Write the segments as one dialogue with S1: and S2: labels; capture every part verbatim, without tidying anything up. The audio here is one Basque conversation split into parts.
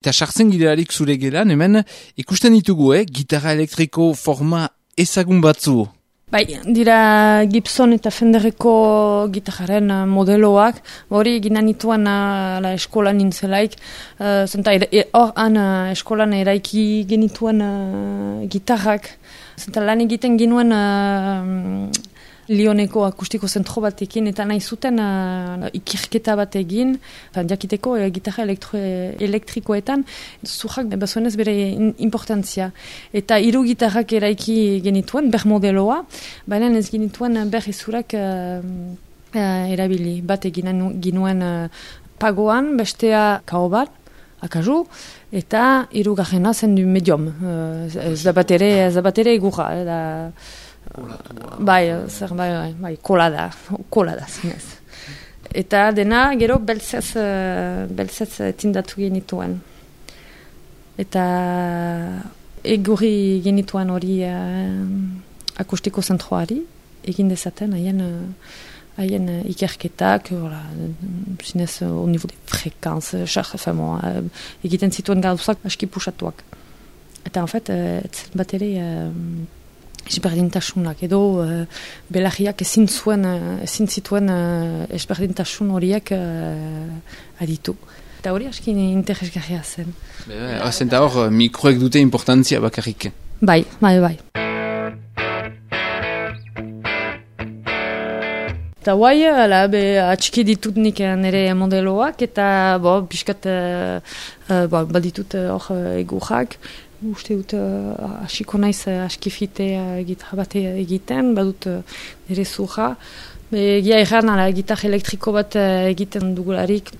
S1: Eta sartzen girelarik zure gelan, hemen ikusten ditugu, eh? Gitarra elektriko forma ezagun batzu.
S2: Bai, dira Gibson eta Fenderreko gitarraren modeloak, hori egina nituen uh, la eskolan nintzelaik, uh, zenta hor han uh, eskolan eraiki genituen uh, gitarrak, zenta lan egiten ginuen uh, Lioneko akustiko zentro batekin, eta nahi zuten uh, ikirketa bat egin, jakiteko uh, gitarra elektro, elektrikoetan, zurrak bazuenez bere importantzia. Eta hiru gitarrak eraiki genituen, ber modeloa, baina ez genituen ber izurak uh, uh, erabili. Bat egin ginuen uh, pagoan, bestea kao bat, akazu, eta hiru garrena zen du medium. Uh, ez da bat ere, ez da bat ere egurra, da... Bai, zer, bai, bai, bai, kola da, kola da, zinez. Eta dena, gero, beltzez, beltzez tindatu genituen. Eta egurri genituen hori uh, akustiko zentroari, egin dezaten, haien, haien ikerketak, hola, zinez, au niveau de frekantz, uh, egiten zituen gauzak aski pusatuak. Eta, en fait, uh, bat ere... Uh, Esberdintasunak edo uh, belarriak ezin zuen, ezin zituen uh, esberdintasun horiek uh, aditu. Eta hori aski interesgarria zen.
S1: Zenta hor, mikroek dute importantzia bakarrik.
S2: Bai, bai, bai. Eta guai, ala, be, atxiki ditut nik nire modeloak, eta bo, biskat uh, uh, bo, baditut hor uh, egurrak. Uste dut, hasiko uh, naiz uh, askifite uh, gitarra bat egiten, badut uh, nire zurra. Egia erran, ala, gitarra elektriko bat uh, egiten dugularik,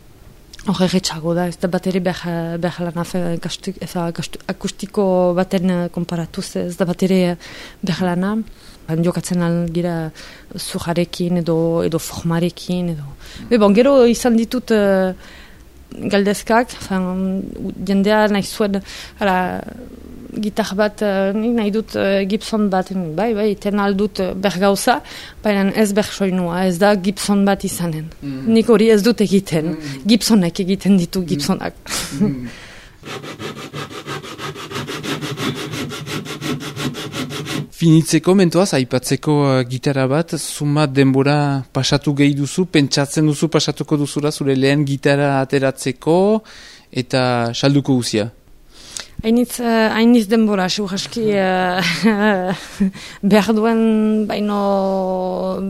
S2: hor erretxago da, ez da bat ere behar, behar lan afe, akustiko baten uh, komparatuz, ez da bat ere behar lana. Jokatzen algira zurrarekin edo, edo formarekin. Edo. Be bon, gero izan ditut... Uh, galdezkak, jendea nahi zuen, ala, gitar bat, uh, nahi dut uh, Gibson bat, bai, bai, ten aldut uh, bergauza, baina ez bersoinua, ez da Gibson bat izanen. Mm. Nik hori ez dut egiten, mm. Gibsonek egiten ditu Gibsonak. Mm.
S1: Finitzeko, mentoaz, aipatzeko uh, gitarra bat, zumat denbora pasatu gehi duzu, pentsatzen duzu pasatuko duzula zure lehen gitarra ateratzeko eta salduko guzia?
S2: Hainitz, uh, hainitz denbora, segurazki uh, behar duen baino,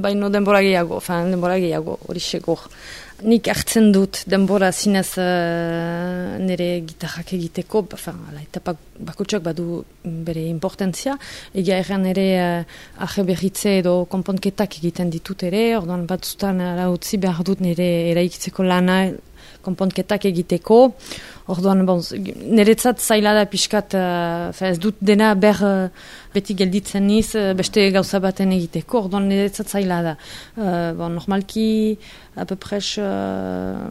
S2: baino denbora gehiago, fan, denbora gehiago, hori segur. Nik hartzen dut denbora zinez uh, nire gitarrak egiteko, eta bakotxak badu bere importantzia, egia erran ere uh, ahe berritze edo konpontketak egiten ditut ere, orduan batzutan uh, utzi behar dut nire eraikitzeko lana konpontketak egiteko, orduan bon, niretzat zaila da pixkat, uh, ez dut dena ber uh, beti gelditzen niz, uh, beste gauza baten egiteko, orduan niretzat zaila da. Uh, bon, normalki, apepres uh,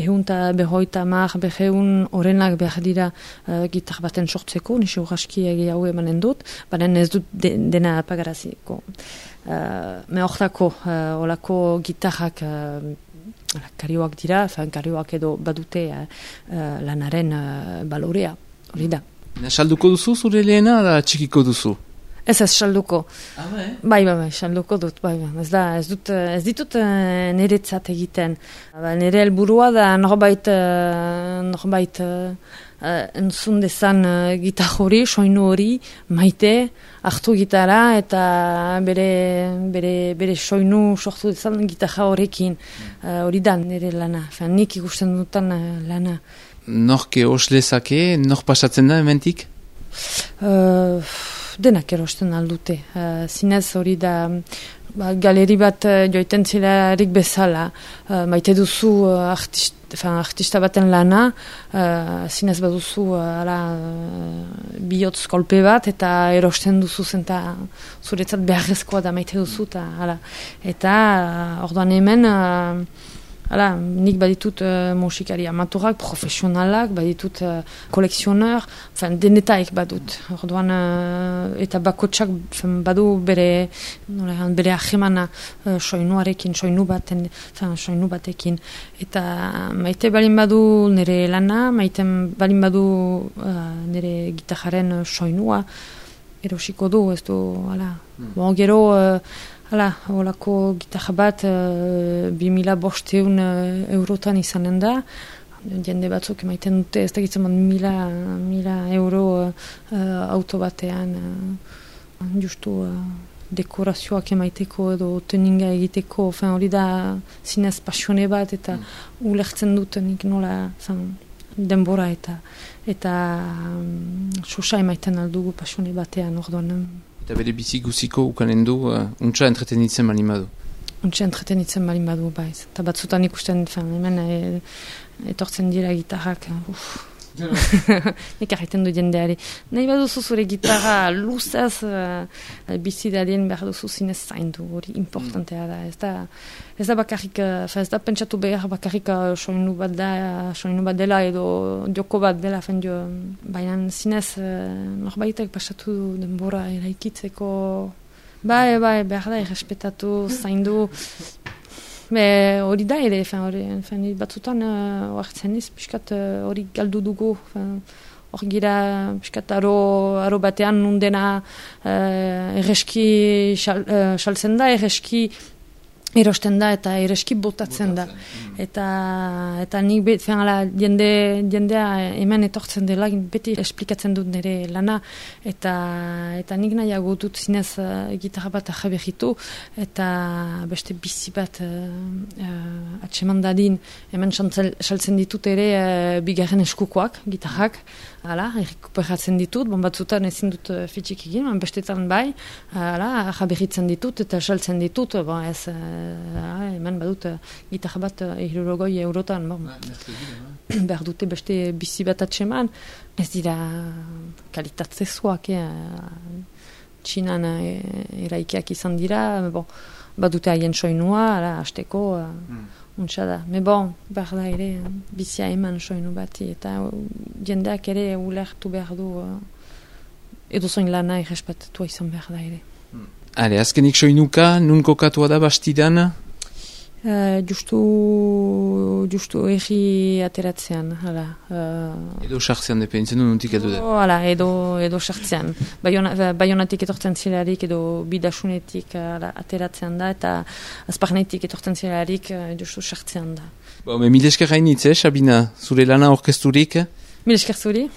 S2: ehunta behoita mar, beheun orenak behar dira uh, gitar baten sortzeko, nise urraski egiago emanen dut, baina ez dut de, dena apagaraziko. Uh, me hortako, uh, olako gitarrak uh, karioak dira, fan karioak edo badute uh, uh, lanaren uh, balorea, hori da.
S1: Salduko duzu zure lehena da txikiko duzu?
S2: Ez ez salduko.
S1: Ah, bai?
S2: Bai, bai, bai, salduko dut, bai, bai. Ez da, ez dut, ez ditut uh, niretzat egiten. Ba, nire helburua da norbait, uh, norbait uh, uh, entzun dezan uh, gitar hori, soinu hori, maite, hartu gitara eta bere, bere, bere soinu sortu dezan gitarra horrekin. Uh, hori da nire lana, Fan, nik ikusten dutan uh, lana.
S1: Norke oslezake, nor pasatzen da hementik?
S2: Uh, denak erosten aldute. Uh, zinez hori da ba, galeri bat uh, joiten zilarik bezala. Uh, maite duzu uh, artist, fan, artista baten lana, uh, zinez baduzu uh, ala, uh, bihotz kolpe bat eta erosten duzu zenta zuretzat beharrezkoa da maite duzu. Ta, ala. Eta uh, orduan hemen uh, Hala, nik baditut uh, musikari amaturak, profesionalak, baditut uh, kolekzioner, denetaik badut. Orduan, uh, eta bakotsak badu bere, nola, bere ahemana uh, soinuarekin, soinu baten, fin, soinu batekin. Eta maite balin badu nire lana, maite balin badu uh, nire gitarraren soinua, erosiko du, ez du, hala. Mm. Bon, gero, uh, hala, holako gitarra bat, uh, bi mila bosteun uh, eurotan izanen da, jende batzuk emaiten dute, ez da gitzen bat mila, mila euro uh, auto batean, uh, justu uh, dekorazioak emaiteko edo tuninga egiteko, fin, hori da zinez pasione bat, eta mm. ulertzen dut nik nola, fin, denbora eta eta um, sosa emaiten aldugu pasione batean, orduan.
S1: Eta bere bizi guziko ukanen du, uh, untsa entretenitzen balin badu.
S2: Untsa entretenitzen balin badu, baiz. Eta batzutan ikusten, hemen e, etortzen dira gitarrak, uff. Nik arreten du jendeari. Nahi baduzu zure gitarra luzaz uh, bizi dadien behar duzu zinez zaindu, hori importantea da. Ez da, ez da bakarrik, uh, ez da pentsatu behar bakarrik uh, soinu bat da, soinu bat dela edo joko bat dela, dio, baina zinez uh, norbaitek pasatu denbora eraikitzeko, bai, bai, behar da, errespetatu, zaindu. Be, hori da ere, hori batzutan oartzen uh, ez, piskat hori uh, galdu dugu, hori gira piskat aro, aro batean nundena uh, erreski saltzen uh, da, erreski erosten da eta ereski botatzen da. Eta, eta nik bet, ala, jende, jendea hemen etortzen dela, beti esplikatzen dut nire lana, eta, eta nik nahiago dut zinez uh, gitarra bat ahaberritu, eta beste bizi bat uh, uh, atseman dadin, hemen saltzen ditut ere uh, bigarren eskukoak, gitarrak, hala, errekuperatzen ditut, bon batzutan ezin dut uh, fitxik egin, man bestetan bai, hala, ahaberritzen ditut eta saltzen ditut, bon ez, uh, hemen badut uh, gitarra bat uh, hirurogoi eurotan, bon. Behar dute beste bizi bat atseman, ez dira kalitatzezuak, eh? Txinan eh, eraikiak izan dira, bon, badute haien soinua, ara, hasteko, uh, mm. untsa da. Me bon, behar da ere, bizia eman soinu bati, eta jendeak ere ulertu behar du, uh, edo zoin lana irrespetatua izan behar da ere.
S1: Mm. Ale, azkenik soinuka, nun kokatua da bastidan?
S2: Uh, justu, justu egi ateratzean, hala. Uh,
S1: edo sartzean dependitzen du nuntik edo da?
S2: Hala, edo, edo sartzean. Bayona, bayonatik etortzen zilarik edo bidasunetik hala, ateratzean da, eta azparnetik etortzen zilarik uh, justu sartzean da.
S1: Ba, me mil esker hainitz, eh, Sabina, zure lana orkesturik?
S2: Mil esker zuri.